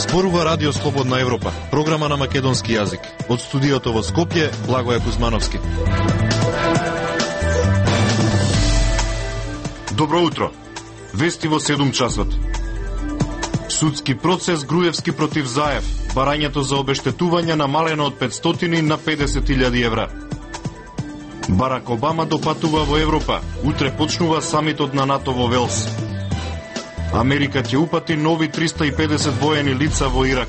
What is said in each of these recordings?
Зборува Радио Слободна Европа, програма на македонски јазик. Од студиото во Скопје, Благоје Кузмановски. Добро утро. Вести во 7 часот. Судски процес Груевски против Заев. Барањето за обештетување намалено од 500 на 50.000 евра. Барак Обама допатува во Европа. Утре почнува самитот на НАТО во Велс. Америка ќе упати нови 350 воени лица во Ирак.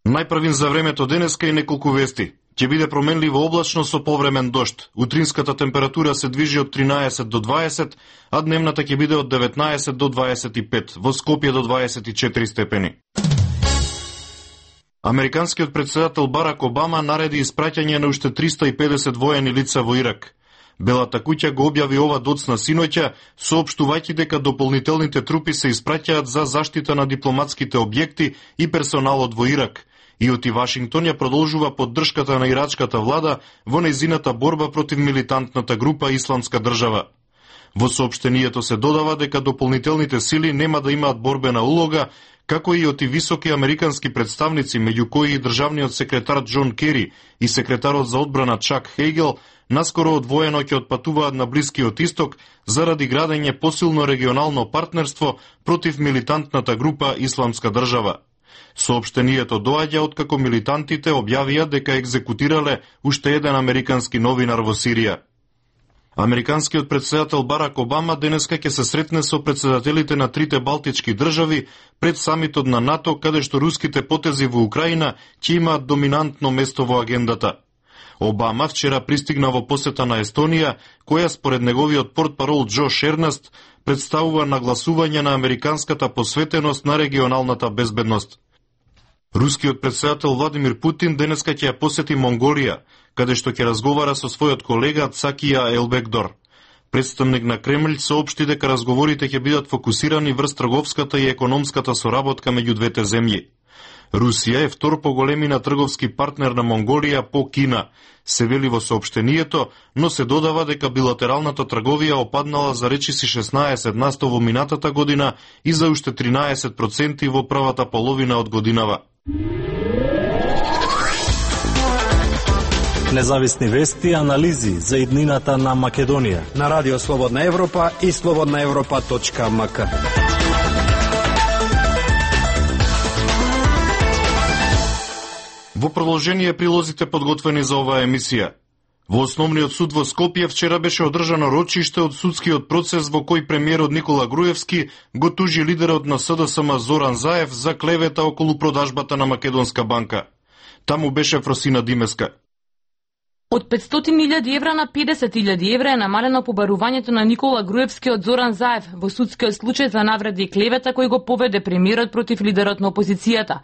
Најпрвин за времето денеска и неколку вести. Ќе биде променливо облачно со повремен дожд. Утринската температура се движи од 13 до 20, а дневната ќе биде од 19 до 25, во Скопје до 24 степени. Американскиот претседател Барак Обама нареди испраќање на уште 350 воени лица во Ирак. Белата куќа го објави ова доцна синоќа, соопштувајќи дека дополнителните трупи се испраќаат за заштита на дипломатските објекти и персоналот во Ирак. И оти Вашингтон ја продолжува поддршката на ирачката влада во нејзината борба против милитантната група Исламска држава. Во соопштението се додава дека дополнителните сили нема да имаат борбена улога, како и оти високи американски представници, меѓу кои и државниот секретар Џон Кери и секретарот за одбрана Чак Хейгел, наскоро одвоено ќе отпатуваат на Блискиот Исток заради градење посилно регионално партнерство против милитантната група Исламска држава. Соопштението доаѓа откако милитантите објавија дека екзекутирале уште еден американски новинар во Сирија. Американскиот претседател Барак Обама денеска ќе се сретне со претседателите на трите балтички држави пред самитот на НАТО, каде што руските потези во Украина ќе имаат доминантно место во агендата. Обама вчера пристигна во посета на Естонија, која според неговиот портпарол Џо Шернаст представува нагласување на американската посветеност на регионалната безбедност. Рускиот претседател Владимир Путин денеска ќе ја посети Монголија, каде што ќе разговара со својот колега Цакија Елбекдор. Представник на Кремљ соопшти дека разговорите ќе бидат фокусирани врз трговската и економската соработка меѓу двете земји. Русија е втор по големина трговски партнер на Монголија по Кина, се вели во соопштението, но се додава дека билатералната трговија опаднала за речиси 16% во минатата година и за уште 13% во првата половина од годинава. Независни вести и анализи за иднината на Македонија на Радио Слободна Европа и slobodnaevropa.mk. Во продолжение прилозите подготвени за оваа емисија. Во Основниот суд во Скопје вчера беше одржано рочиште од судскиот процес во кој премиерот Никола Груевски го тужи лидерот на СДСМ Зоран Заев за клевета околу продажбата на Македонска банка. Таму беше Фросина Димеска. Од 500.000 евра на 50.000 евра е намалено побарувањето на Никола Груевски од Зоран Заев во судскиот случај за навреди и клевета кој го поведе премиерот против лидерот на опозицијата.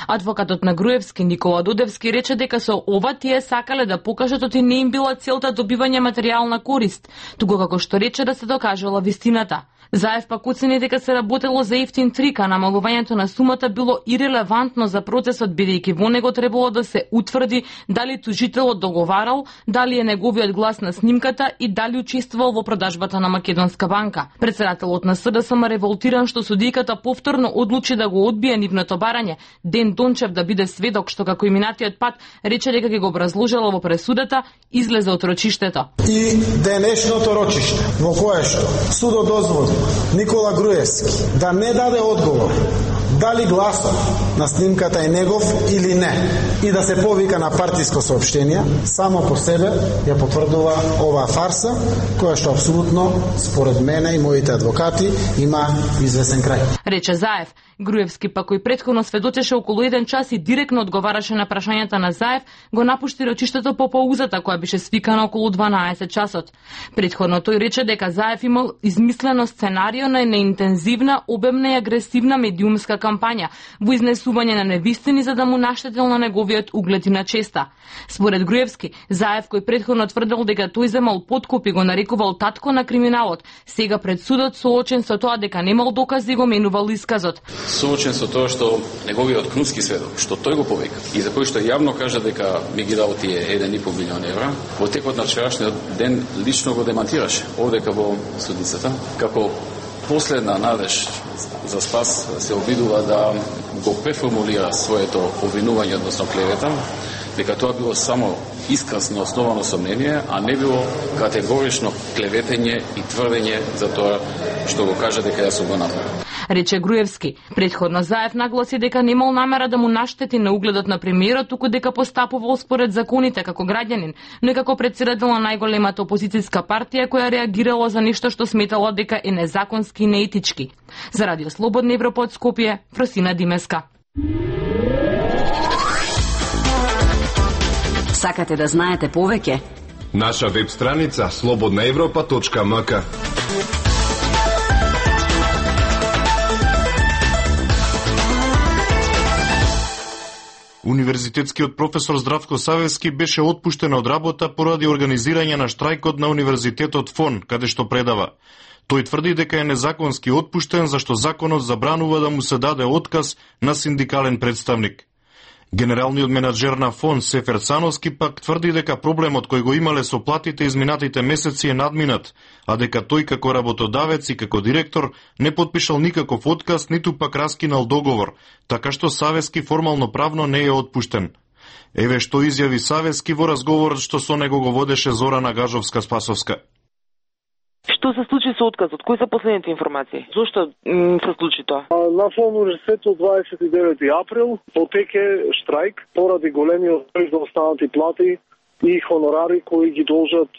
Адвокатот на Груевски Никола Дудевски рече дека со ова тие сакале да покажат оти не им била целта добивање материјална корист, туку како што рече да се докажала вистината. Заев пак оцени дека се работело за ефтин трик, а намалувањето на сумата било ирелевантно за процесот, бидејќи во него требало да се утврди дали тужителот договарал, дали е неговиот глас на снимката и дали учествувал во продажбата на Македонска банка. Председателот на СДСМ револтиран што судијката повторно одлучи да го одбие нивното барање, Ден Дончев да биде сведок, што како и минатиот пат рече дека ќе го образложила во пресудата, излезе од рочиштето. И денешното рочиште во кое што судот дозволи Никола Груевски да не даде одговор дали гласот на снимката е негов или не и да се повика на партиско соопштение, само по себе ја потврдува оваа фарса, која што апсолутно, според мене и моите адвокати, има известен крај. Рече Заев. Груевски пак кој претходно сведочеше околу 1 час и директно одговараше на прашањата на Заев, го напушти рочиштето по паузата која беше свикана околу 12 часот. Претходно тој рече дека Заев имал измислено сценарио на неинтензивна, обемна и агресивна медиумска кампања во изнесување на невистини за да му наштетил на неговиот углед и на честа. Според Груевски, Заев, кој претходно тврдел дека тој земал подкуп и го нарекувал татко на криминалот, сега пред судот соочен со тоа дека немал докази го менувал исказот. Соочен со тоа што неговиот крунски сведок, што тој го повика и за кој што јавно кажа дека ми ги дал тие 1,5 милион евра, во текот на вчерашниот ден лично го демантираше овдека во судницата, како последна надеж за спас се обидува да го преформулира своето обвинување, односно клевета, дека тоа било само исказ на основано сомнение, а не било категорично клеветење и тврдење за тоа што го кажа дека јас сум го направил. Рече Груевски. Предходно Заев нагласи дека немал намера да му наштети на угледот на премиерот, туку дека постапувал според законите како граѓанин, но и како претседател на најголемата опозицијска партија која реагирала за нешто што сметала дека е незаконски и неетички. За Радио Слободна Европа од Скопје, Фросина Димеска. Сакате да знаете повеќе? Наша веб страница slobodnaevropa.mk. Универзитетскиот професор Здравко Савевски беше отпуштен од работа поради организирање на штрајкот на Универзитетот ФОН, каде што предава. Тој тврди дека е незаконски отпуштен зашто законот забранува да му се даде отказ на синдикален представник. Генералниот менаџер на ФОН Сефер Цановски пак тврди дека проблемот кој го имале со платите изминатите месеци е надминат, а дека тој како работодавец и како директор не подпишал никаков отказ, ниту пак раскинал договор, така што Савески формално правно не е отпуштен. Еве што изјави Савески во разговорот што со него го водеше Зорана Гажовска-Спасовска. Што се случи со отказот? Кои се последните информации? Зошто се случи тоа? На ФОН универзитетот 29 април потеке штрајк поради големиот број заостанати плати и хонорари кои ги должат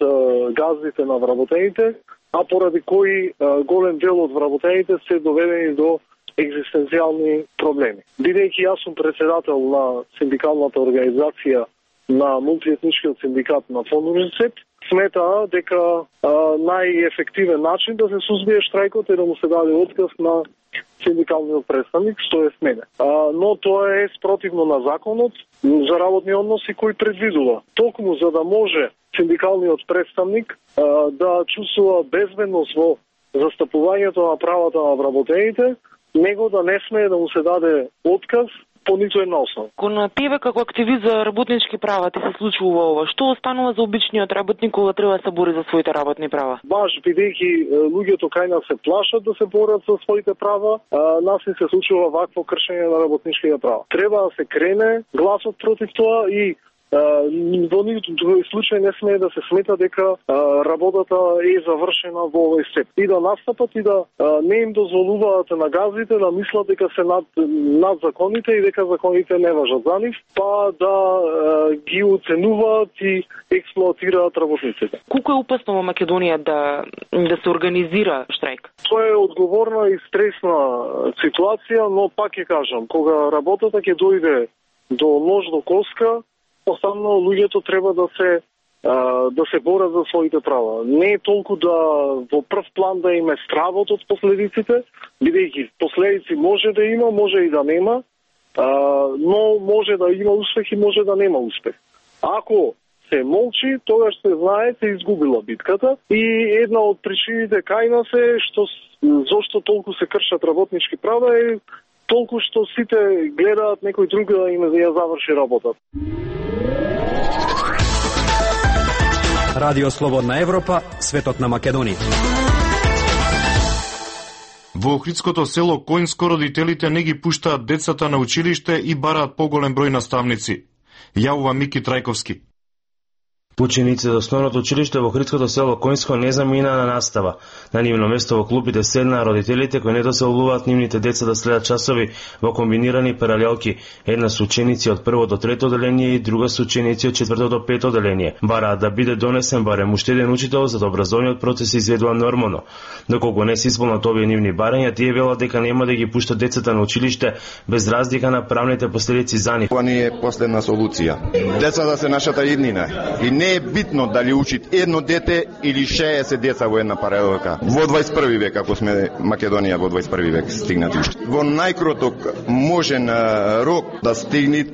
газдите на вработените, а поради кои голем дел од вработените се доведени до екзистенцијални проблеми. Бидејќи јас сум председател на синдикалната организација на мултиетничкиот синдикат на ФОН универзитет, смета дека најефективен начин да се сузбие штрајкот е да му се даде отказ на синдикалниот представник, што е мене. Но тоа е спротивно на законот за работни односи кој предвидува. Токму за да може синдикалниот представник да чувствува безбедност во застапувањето на правата на вработените, него да не смее да му се даде отказ по ниту една основа. Кон тебе како активист за работнички права ти се случува ова? Што останува за обичниот работник кога треба да се бори за своите работни права? Баш бидејќи луѓето кај нас се плашат да се борат за своите права, нас не се случува вакво кршење на работничките права. Треба да се крене гласот против тоа и во никој случај не смее да се смета дека работата е завршена во овој степ. И да настапат и да не им дозволуваат на газите да мислат дека се над законите и дека законите не важат за нив, па да ги оценуваат и експлоатираат работниците. Колку е опасно во Македонија да се организира штрајк? Тоа е одговорна и стресна ситуација, но пак ќе кажам, кога работата ќе дојде до нож до коска, останало луѓето треба да се борат за своите права. Не е толку да во прв план да им е стравот од последиците, бидејќи последици може да има, може и да нема, но може да има успех и може да нема успех. Ако се молчи, тогаш се знае се изгубила битката и една од причините кај нас е зошто толку се кршат работнички права е толку што сите гледаат некој друг да им ја заврши работата. Радио Слободна Европа, светот на Македонија. Во Охридското село Којнско родителите не ги пуштаат децата на училиште и бараат поголем број наставници. Јавува Мики Трајковски. Учениците од основното училиште во Охридското село Којнско не замина на настава. На нивно место во клупите седнаа родителите кои не дозволуваат нивните деца да следат часови во комбинирани паралелки. Една со ученици од 1 до 3 оделение и друга со ученици од 4 до 5 оделение. Бараат да биде донесен барем уште еден учител за да образовниот процес се изведува нормално. Доколку не се исполнат овие нивни барања, тие велат дека нема да ги пуштат децата на училиште без разлика на правните последици за нив. Ова не е последна солуција. Децата се нашата иднина и Не е битно дали учи едно дете или 60 деца во една паралелка. Во 21 век, ако сме Македонија во 21 век стигнати. Во најкраток можен рок да стигне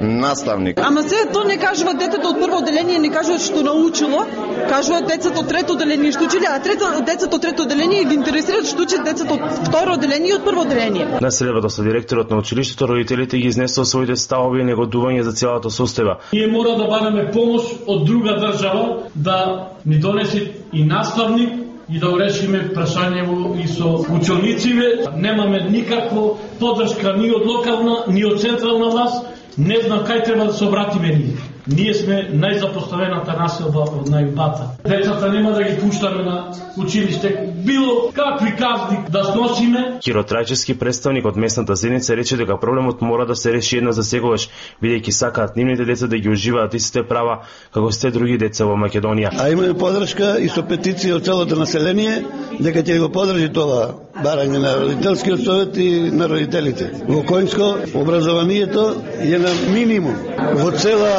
наставник. Ама се тоа не кажува детето од прво одделение, не кажува што научило, кажува децата од трето одделение што училе, а децата од трето одделение ги интересираат што учат децата од второ одделение и од прво одделение. На средбата со директорот на училиштето, родителите ги изнесоа своите ставови и негодување за целата состојба. Ние мора да бараме помош од друга држава да ни донесе и наставник и да урешиме прашањево и со учениците. Немаме никаква поддршка ни од локална, ни од централна власт. Не знам кај треба да се обратиме ние. Ние сме најзапоставената населба од најубата. Децата нема да ги пуштаме на училиште, било какви казни да сносиме. Киро Трајчевски, представник од местната заедница, рече дека проблемот мора да се реши еднаш за секогаш, бидејќи сакаат нивните деца да ги уживаат истите права како сите други деца во Македонија. А имаме поддршка и со петиција од целото население дека ќе го поддржи тоа барање на родителскиот совет и на родителите. Во Коњско образованието е на минимум. Во цела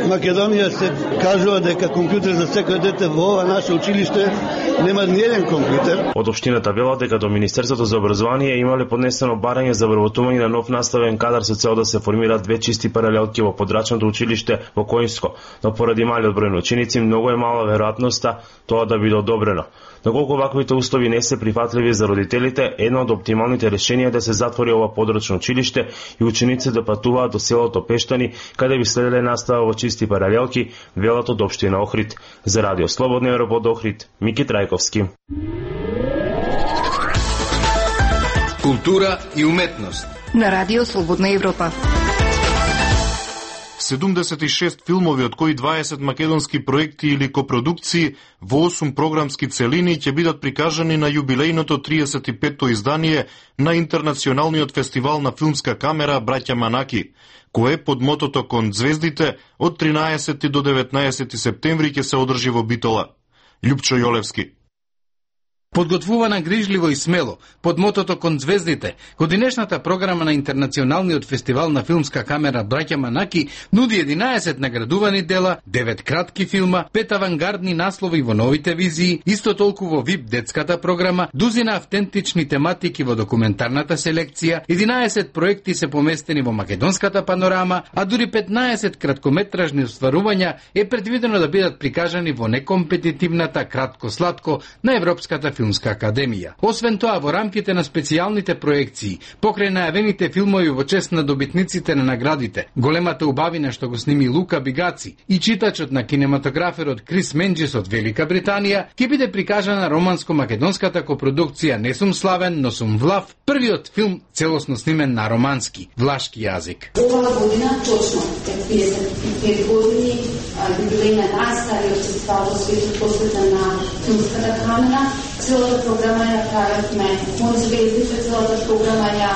Македонија се кажува дека компјутер за секој дете во ова наше училиште нема ни еден компјутер. Од општината велат дека до Министерството за образование имале поднесено барање за вработување на нов наставен кадар со цел да се формираат 2 чисти паралелки во подрачното училиште во Коњско, но поради малиот број на ученици многу е мала веројатноста тоа да биде одобрено. Доколку ваквите услови не се прифатливи за родителите, едно од оптималните решенија е да се затвори ова подрачно училиште и учениците да патуваат до селото Пештани, каде би следеле настава во чисти паралелки, велат од општина Охрид. За Радио Слободна Европа од Охрид, Мики Трајковски. Култура и уметност на Радио Слободна Европа. 76 филмови, од кои 20 македонски проекти или копродукции во 8 програмски целини ќе бидат прикажани на јубилејното 35-то издание на Интернационалниот фестивал на филмска камера Браќа Манаки, кое под мотото Кон звездите од 13 до 19 септември ќе се одржи во Битола. Љупчо Јолевски. Подготвувана грижливо и смело, под мотото Кон звездите, годинешната програма на Интернационалниот фестивал на филмска камера Браќа Манаки нуди 11 наградувани дела, 9 кратки филма, 5 авангардни наслови во новите визии, исто толку во ВИП детската програма, дузина автентични тематики во документарната селекција, 11 проекти се поместени во македонската панорама, а дури 15 краткометражни остварувања е предвидено да бидат прикажани во некомпетитивната кратко-сладко на Европската филмска академија. Освен тоа, во рамките на специјалните проекции, покрај најавените филмови во чест на добитниците на наградите, големата убавина што го сними Лука Бигаци и читачот на кинематограферот Крис Менџис од Велика Британија, ќе биде прикажана романско-македонската копродукција Не сум славен, но сум влав, првиот филм целосно снимен на романски, влашки јазик. Оваа година точно 55 години јубилеј на најстариот фестивал во светот посветен на филмската камера. Целата програма ја правевме, Кон звездите, целата програма ја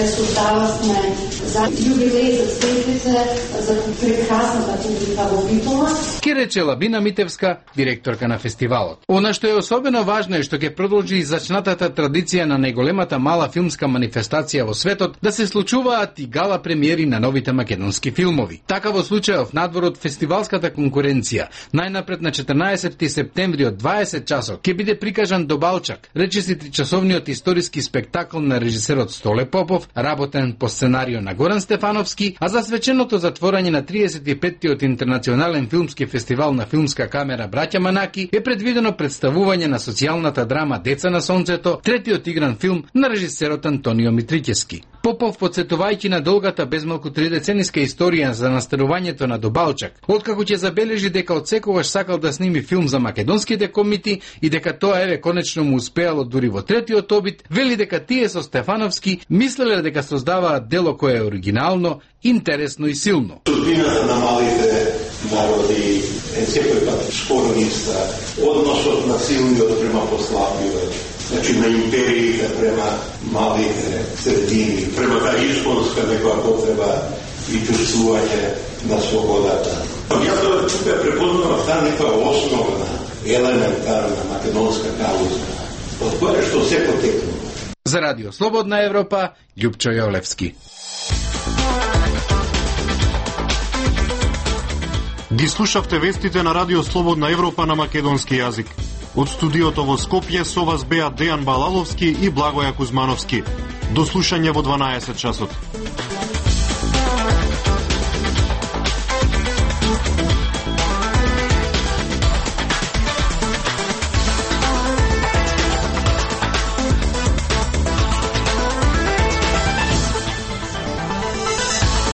создававме за јубилеј, за звездите, за прекрасната публика во Битола. Ке рече Лабина Митевска, директорка на фестивалот. Она што е особено важно е што ќе продолжи изачнатата традиција на најголемата мала филмска манифестација во светот да се случуваат и гала премиери на новите македонски филмови. Така во случајов надвор од фестивалската конкуренција, најнапред на 14 септември од 20 часот ќе биде прикажан Добалчак, речиси тричасовниот историски спектакл на режисерот Столе Попов, работен по сценарио на Горан Стефановски, а за свеченото затворање на 35-тиот Интернационален филмски фестивал на филмска камера Браќа Манаки е предвидено представување на социјалната драма Деца на сонцето, третиот игран филм на режисерот Антонио Митрикески. Попов, подсетувајќи на долгата безмалку 3-децениска историја за настанувањето на Добалчак, откако ќе забележи дека од секогаш сакал да сними филм за македонските комити и дека тоа еве конечно му успеало дури во третиот обид, вели дека тие со Стефановски мислеле дека создаваат дело кое е оригинално, интересно и силно. Судбината на малите народи е секој пат спорниста, односот на силниот према послабиот, значи на империите према малите средини, према таа исполнска некоја потреба и чувствување на слободата. Јас тука препознавам таа некоја основна, елементарна македонска кауза, од која што се потекнува. За Радио Слободна Европа, Љупчо Јолевски. Ги слушавте вестите на Радио Слободна Европа на македонски јазик. Од студиото во Скопје со вас беа Дејан Балаловски и Благоја Кузмановски. До слушање во 12 часот.